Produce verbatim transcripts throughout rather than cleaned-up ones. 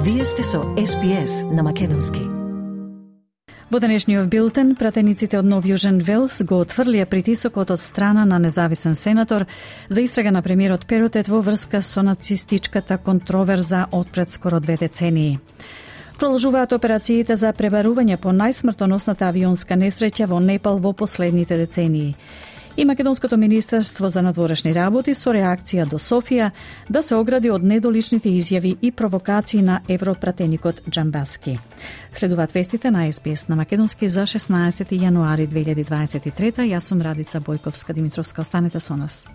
Вие сте со Ес Би Ес на македонски. Во денешниот билтен, пратениците од Нов Јужен Велс го отфрлија притисокот од страна на независен сенатор за истрага на премиерот Перотет во врска со нацистичката контроверза од пред скоро две децении. Продолжуваат операциите за пребарување по најсмртоносната авионска несреќа во Непал во последните децении. И Македонското министерство за надворешни работи со реакција до Софија да се огради од недоличните изјави и провокации на европратеникот Џамбаски. Следуваат вестите на Ес Би Ес на македонски за шеснаесети јануари две илјади дваесет и трета. Јас сум Радица Бојковска-Димитровска. Останете со нас.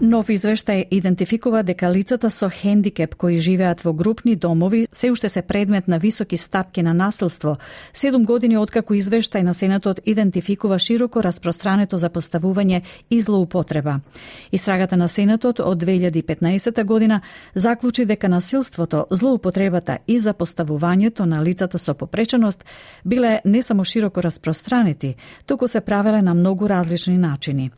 Нов извештај идентификува дека лицата со хендикеп кои живеат во групни домови се уште се предмет на високи стапки на насилство, седум години откако извештај на Сенатот идентификува широко распространето запоставување и злоупотреба. Истрагата на Сенатот од две илјади и петнаесета година заклучи дека насилството, злоупотребата и запоставувањето на лицата со попреченост биле не само широко распространети, туку се правеле на многу различни начини.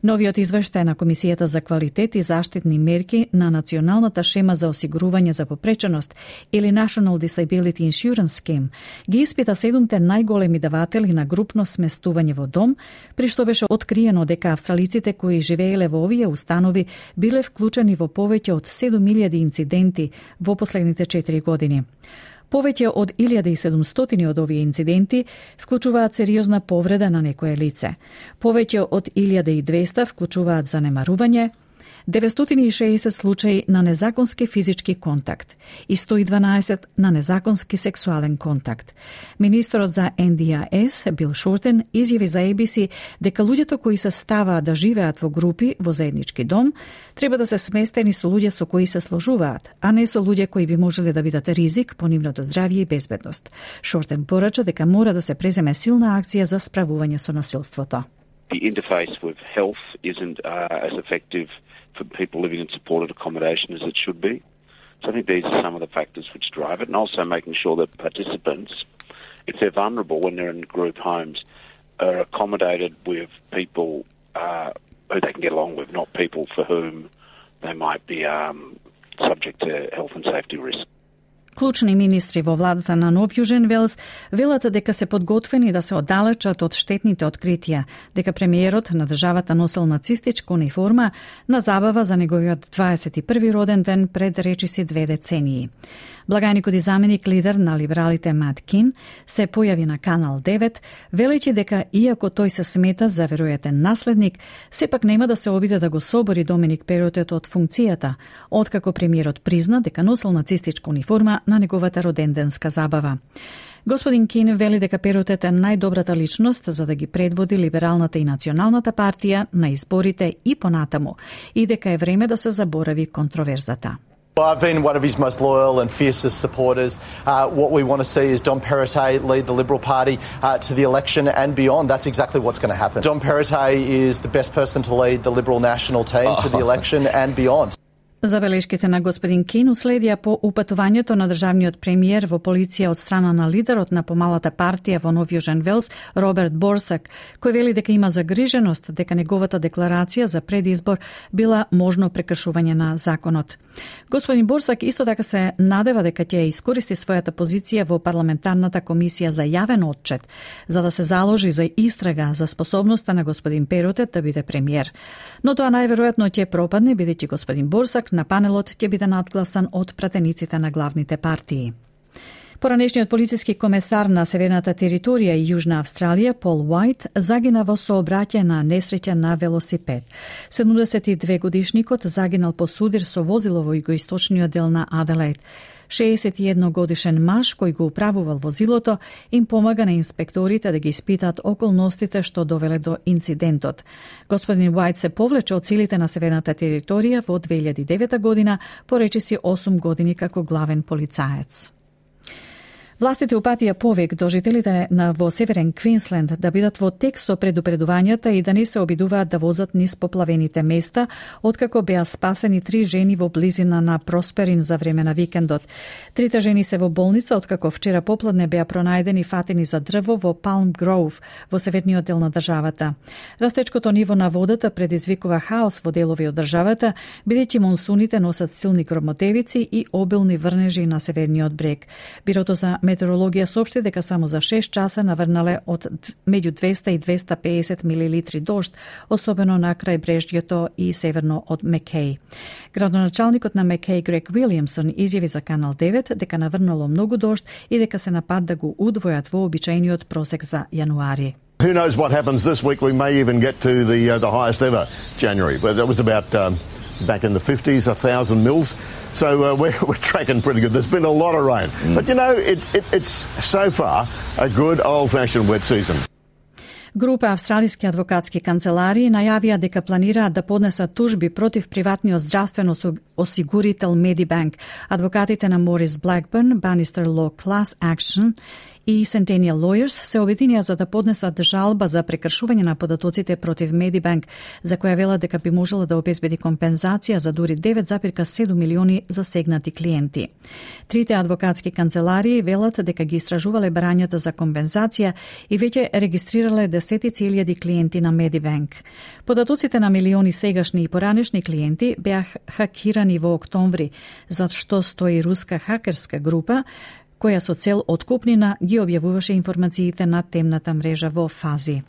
Новиот извештај на Комисијата за квалитет и заштитни мерки на Националната шема за осигурување за попреченост или National Disability Insurance Scheme ги испита седумте најголеми даватели на групно сместување во дом, при што беше откриено дека австралиците кои живееле во овие установи биле вклучени во повеќе од седум илјади инциденти во последните четири години. Повеќе од илјада и седумстотини од овие инциденти вклучуваат сериозна повреда на некое лице. Повеќе од илјада и двесте вклучуваат занемарување, деветстотини и шеесет случаи на незаконски физички контакт и сто и дванаесет на незаконски сексуален контакт. Министерот за Ен Ди А Ес, Бил Шортен, изјави за Ей Би Си дека луѓето кои се ставаат да живеат во групи во заеднички дом треба да се сместени со луѓе со кои се сложуваат, а не со луѓе кои би можеле да бидат ризик по нивното здравје и безбедност. Шортен порача дека мора да се преземе силна акција за справување со насилството. The interface with health isn't uh, as effective for people living in supported accommodation as it should be. So I think these are some of the factors which drive it, and also making sure that participants, if they're vulnerable when they're in group homes, are accommodated with people uh, who they can get along with, not people for whom they might be um, subject to health and safety risk. Клучни министри во владата на Нов Јужен Велс велат дека се подготвени да се оддалечат од штетните откритија, дека премиерот на државата носел нацистичка униформа на забава за неговиот дваесет и први роден ден пред речиси две децении. Благајникот и заменик лидер на либералите Мат Кин се појави на Канал девет, велејќи дека иако тој се смета за веројатен наследник, сепак нема да се обиде да го собори Доминик Перотет од функцијата, откако премиерот призна дека носел нацистичка униформа на неговата роденденска забава. Господин Кин вели дека Перотет е најдобрата личност за да ги предводи либералната и националната партија на изборите и понатаму, и дека е време да се заборави контроверзата. Well, I've been one of his most loyal and fiercest supporters. Uh, what we want to see is Dom Perrottet lead the Liberal Party uh, to the election and beyond. That's exactly what's going to happen. Dom Perrottet is the best person to lead the Liberal national team to the election and beyond. Забелешките на господин Кин уследија по упатувањето на државниот премиер во полиција од страна на лидерот на помалата партија во Нов Јужен Велс, Роберт Борсак, кој вели дека има загриженост дека неговата декларација за предизбор била можно прекршување на законот. Господин Борсак исто така се надева дека ќе искористи својата позиција во парламентарната комисија за јавен отчет, за да се заложи за истрага за способноста на господин Перотет да биде премиер. Но тоа најверојатно ќе пропадне, бидејќи господин Борсак на панелот ќе биде надгласан од пратениците на главните партии. Поранешниот полициски комесар на Северната територија и Јужна Австралија, Пол Уајт, загина во сообраќај на несреќа на велосипед. седумдесет и две годишникот загинал по судир со возило во југоисточниот дел на Аделаид. шеесет и едно годишен маж кој го управувал возилото им помага на инспекторите да ги испитаат околностите што довеле до инцидентот. Господин Уајт се повлече од силите на Северната територија во две илјади и девета година, поречиси осум години како главен полицаец. Властите упатија повик до жителите на во Северен Квинсленд да бидат во тек со предупредувањата и да не се обидуваат да возат низ поплавените места, откако беа спасени три жени во близина на Просперин за време на викендот. Трите жени се во болница, откако вчера попладне беа пронајдени фатени за дрво во Палм Гроув, во северниот дел на државата. Растечкото ниво на водата предизвикува хаос во делови од државата, бидејќи монсуните носат силни громотевици и обилни врнежи на северниот брег. Бирото за метеорологија соопшти дека само за шест часа наврнале од меѓу двеста и двеста и педесет милилитри дожд, особено на крајбрежјето и северно од Мекеј. Градоначалникот на Мекеј Грег Уилјамсон изјави за Канал девет дека наврнало многу дожд и дека се на пат да го удвојат во обичајниот просек за јануари. Who knows what happens this week? We may even get to the uh, the highest ever January, but that was about um, back in the fifties, a thousand mils. So uh, we're, we're tracking pretty good. There's been a lot of rain. Mm. But you know, it, it, it's so far a good old-fashioned wet season. Група австралиски адвокатски канцеларии најавија дека планираат да поднесат тужби против приватниот здравствен осигурител Medibank. Адвокатите на Морис Блакбърн, Bannister Law Class Action и Centennial Lawyers се обединија за да поднесат жалба за прекршување на податоците против Medibank, за која велат дека би можела да обезбеди компензација за дури девет зарез седум милиони засегнати клиенти. Трите адвокатски канцеларии велат дека ги истражувале барањата за компензација и веќе регистрирале десетици илјади клиенти на Medibank. Податоците на милиони сегашни и поранешни клиенти беа хакирани во октомври, за што стои руска хакерска група која со цел откупнина ги објавуваше информациите на темната мрежа во фази.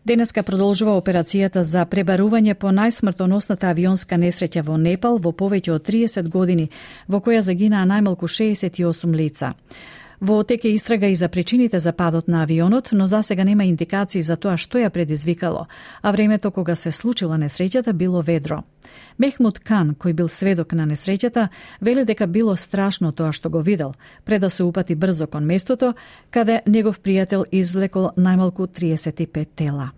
Денеска продолжува операцијата за пребарување по најсмртоносната авионска несреќа во Непал во повеќе од триесет години, во која загинаа најмалку шеесет и осум лица. Во тек е истрага и за причините за падот на авионот, но засега нема индикации за тоа што ја предизвикало, а времето кога се случила несреќата било ведро. Мехмуд Кан, кој бил сведок на несреќата, вели дека било страшно тоа што го видел, пред да се упати брзо кон местото, каде негов пријател извлекол најмалку триесет и пет тела.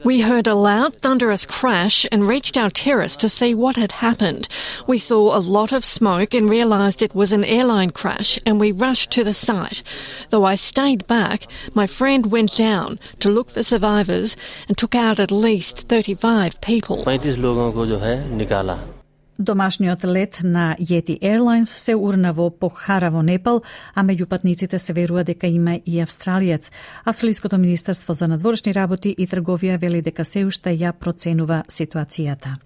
We heard a loud, thunderous crash and reached our terrace to see what had happened. We saw a lot of smoke and realised it was an airline crash, and we rushed to the site. Though I stayed back, my friend went down to look for survivors and took out at least thirty-five people. Домашниот лет на Yeti Airlines се урна во Похара во Непал, а меѓу патниците се верува дека има и австралиец. Австралиското министерство за надворешни работи и трговија вели дека се уште ја проценува ситуацијата.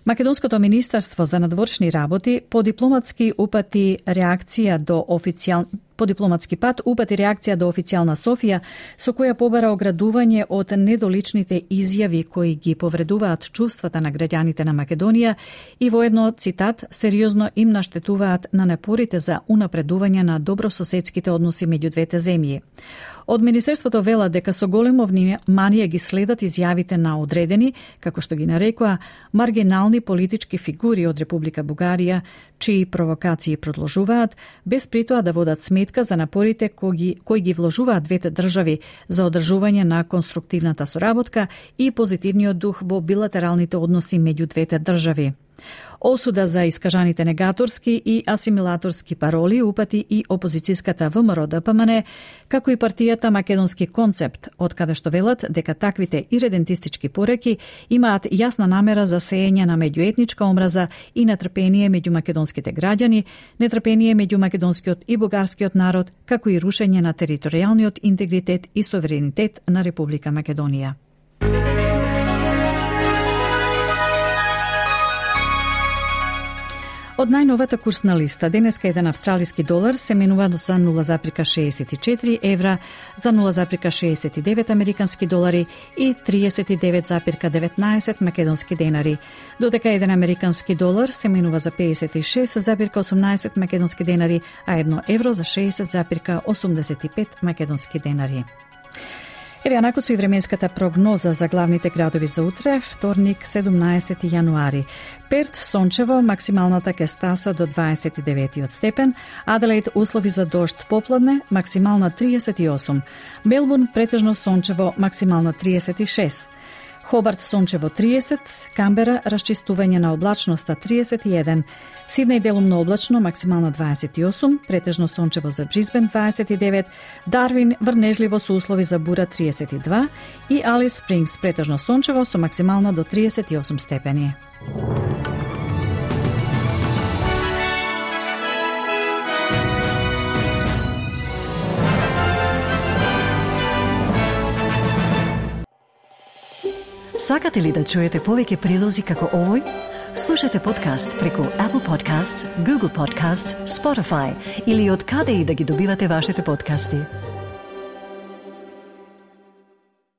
Македонското министерство за надворешни работи по дипломатски упати реакција до официјал по дипломатски пат упати реакција до официјална Софија, со која побара оградување од недоличните изјави кои ги повредуваат чувствата на граѓаните на Македонија и воедно, цитат, сериозно им наштетуваат на напорите за унапредување на добрососедските односи меѓу двете земји. Од Министерството вела дека со големо внимание ги следат изјавите на одредени, како што ги нарекоа, маргинални политички фигури од Република Бугарија, чии провокации продолжуваат, без притоа да водат сметка за напорите кои ги, кои ги вложуваат двете држави за одржување на конструктивната соработка и позитивниот дух во билатералните односи меѓу двете држави. Осуда за искажаните негаторски и асимилаторски пароли упати и опозицијската ВМРО Д П М Н, како и партијата Македонски концепт, од каде што велат дека таквите иредентистички пореки имаат јасна намера за сеење на меѓуетничка омраза и нетрпение меѓу македонските граѓани, нетрпение меѓу македонскиот и бугарскиот народ, како и рушење на територијалниот интегритет и суверенитет на Република Македонија. Од најновата курсна листа, денеска еден австралиски долар се менува за нула зарез шеесет и четири евра, за нула зарез шеесет и девет американски долари и триесет и девет зарез деветнаесет македонски денари, додека еден американски долар се менува за педесет и шест зарез осумнаесет македонски денари, а едно евро за шеесет зарез осумдесет и пет македонски денари. Еве анако со и временската прогноза за главните градови за утре, вторник, седумнаесети јануари. Перт сончево, максималната ќе стаса до дваесет и деветиот степен, Аделаид услови за дожд попладне, максимална триесет и осум, Мелбурн претежно сончево, максимална триесет и шест, Хобарт сончево триесет, Камбера расчистување на облачноста триесет и еден, Сиднеј делумно облачно максимално дваесет и осум, претежно сончево за Брисбен дваесет и девет, Дарвин врнежливо со услови за бура триесет и два и Алис Спрингс претежно сончево со максимално до триесет и осум степени. Сакате ли да чуете повеќе прилози како овој? Слушате подкаст преку Apple Podcasts, Google Podcasts, Spotify или од каде и да ги добивате вашите подкасти.